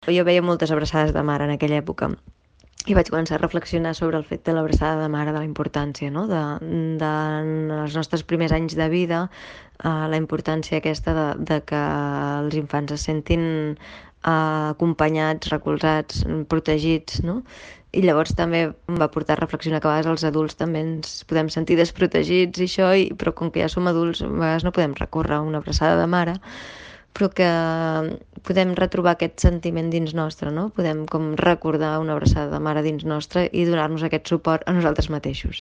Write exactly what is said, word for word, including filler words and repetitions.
Jo veia moltes abraçades de mare en aquella època i vaig començar a reflexionar sobre el fet de l'abraçada de mare, de la importància, no? de, de en els nostres primers anys de vida, eh, la importància aquesta de, de que els infants es sentin eh, acompanyats, recolzats, protegits, no? I llavors també em va portar a reflexionar que a vegades els adults també ens podem sentir desprotegits i això, i, però com que ja som adults a vegades no podem recórrer a una abraçada de mare, però que podem retrobar aquest sentiment dins nostre, no? Podem com recordar una abraçada de mare dins nostre i donar-nos aquest suport a nosaltres mateixos.